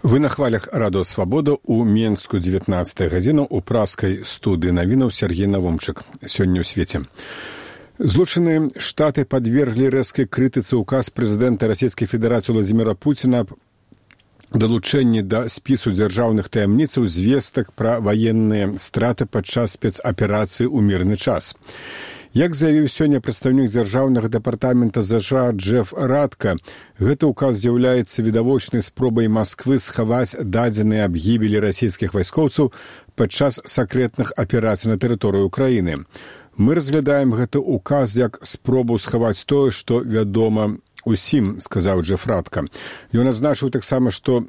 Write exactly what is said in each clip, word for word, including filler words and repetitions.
Вы на хвалях радыё Свабода ў Менску дзевятнаццатая гадзіна ў пражскай студыі навінаў Сергей Навумчык. Сёння ў свеце. Злучаныя Штаты падверглі рэзкай крытыцы ўказ прэзідэнта Расійскай Федэрацыі Владзіміра Пуціна аб далучэнні да спісу дзяржаўных таямніцаў звестак пра ваенныя страты падчас спецаперацыі ў мірны час. Як заявіў сёння прадстаўнік дзяржаўнага дэпартамента ЗША Джеф Радка, гэты ўказ з'яўляецца відавочнай спробай Масквы схаваць дадзеныя аб гібелі расійскіх вайскоўцаў падчас сакрэтных аперацый на тэрыторыі ўкраіны. Мы разглядаем гэты ўказ як спробу схаваць тое, што вядома усім, сказаў Джеф Радка. Ён адзначыў таксама, што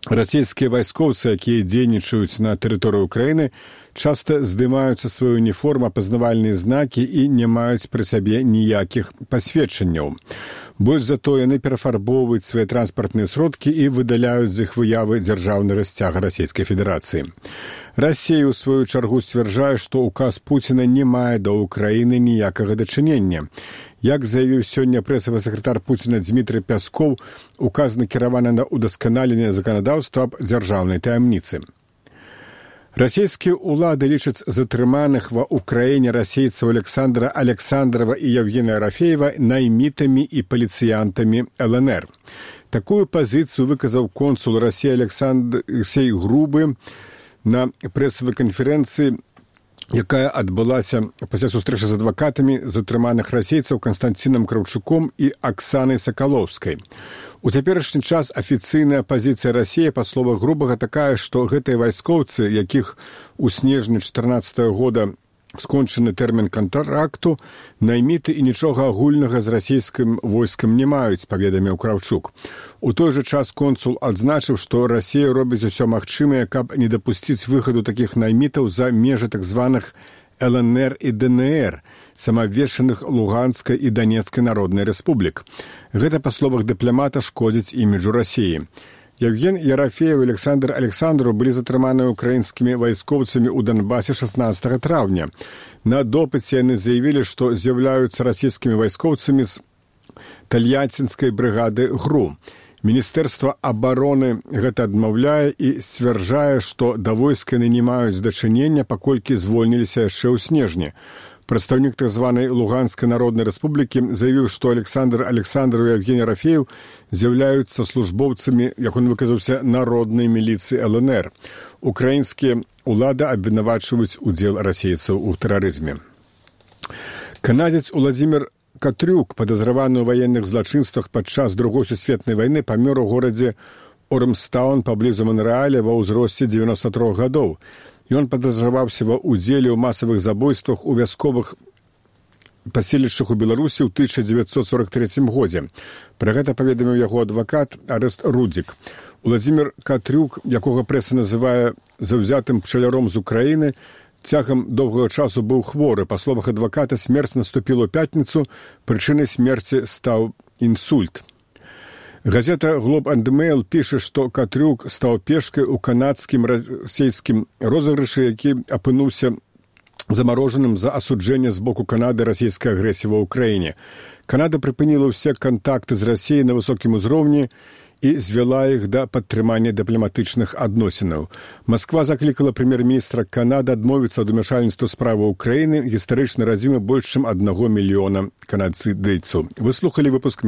расійскія вайскоўцы, якія дзейнічаюць на тэрыторыі ўкраіны, часта здымаюцца сваю уніформу, апазнавальныя знакі і не маюць пры сабе ніякіх пасведчанняў. Больш за то яны перафарбоўваюць свае транспартныя сродкі і выдаляюць з іх выявы дзяржаўнага сцяга Расійскай Федэрацыі. Расія, у сваю чаргу, сцвярджае, што ўказ Пуціна не мае да ўкраіны ніякага дачынення. Як заявіў сёння прэсавы сакратар Пуціна Дмітрый Пяскоў, указ накіраваны на ўдасканаленне заканадаўства аб дзяржаўнай таямніцы. Расійскія ўлады лічаць затрыманых ва ўкраіне расейцаў Александра Александрова і Евгения Рафеева наймітамі і паліцыянтамі эл эн эр. Такую пазіцыю выказаў консул Расіі Алексей Грубы на прэсавай канферэнцыі, якая адбылася пасля сустрэчы з адвакатамі затрыманых расейцаў Канстанцінам Краўчуком і Аксанай Сакалоўскай. У цяперашні час афіцыйная пазіцыя Расіі, па словах Грубага, такая, што гэтыя вайскоўцы, якіх у снежні чатырнаццатага года скончаны тэрмін кантракту, найміты і нічога агульнага з расійскім войскам не маюць, паведаміў Краўчук. У той жа час консул адзначыў, што Расія робіць усё магчымае, каб не дапусціць выхаду такіх наймітаў за межы так званых эл эн эр і дэ эн эр, самаабвешчаных Луганскай і Данецкай народнай рэспублік. Гэта, па словах дыпламата, шкодзіць іміджу Расіі. Евген Ерафеев і Александр Александров былі затрыманыя украінскімі вайскоўцамі ў Донбасе шаснаццатага траўня. На допыце яны заявілі, што з'яўляюцца расійскімі вайскоўцамі з тальяцінскай брыгады ГРУ. Міністэрства абароны гэта адмаўляе і сцвярджае, што да войска яны не маюць дачынення, паколькі звольніліся яшчэ ў снежні. Прадстаўнік так званай Луганскай народнай рэспублікі заявіў, што Александр Александров і Евгений Рафеев з'яўляюцца службоўцамі, як он выказаўся, народнай міліцыі эл эн эр. Украінскія ўлады абвінавачваюць удзел расейцаў у тэрарызме. Канадзец Уладзімір Катрюк, падазраваны ў ваенных злачынствах падчас Другой сусветнай вайны, памёр у горадзе Ормстаун паблізу Монрэаля ва ўзросце дзевяноста трох гадоў. Ён падазраваўся ва ўдзеле ў масавых забойствах у вясковых паселішчах у Беларусі ў тысяча дзевяцьсот сорок трэцім годзе. Пра гэта паведаміў яго адвакат Арэст Рудзік. Уладзімір Катрюк, якога прэса называе заўзятым пчаляром з Украіны, цягам доўгага часу быў хворы. Па словах адваката, смерць наступіла ў пятніцу, прычынай смерці стаў інсульт. Газета «Глоб энд Мэйл» піша, што Катрюк стаў пешкай у канадскім расійскім розыгрышы, які апынуўся замарожаным за асуджэнне з боку Канады расійскай агрэсіі ва ўкраіне. Канада прыпыніла ўсе кантакты з Расіяй на высокім узроўні і звяла іх да падтрымання дыпламатычных адносінаў. Масква заклікала прэм'ер-міністра Канады адмовіцца ад умяшальніцтва справы ўкраіны, гістарычнай радзімы больш чым аднаго мільёна канадцыдыйцаў. Вы слухалі выпуск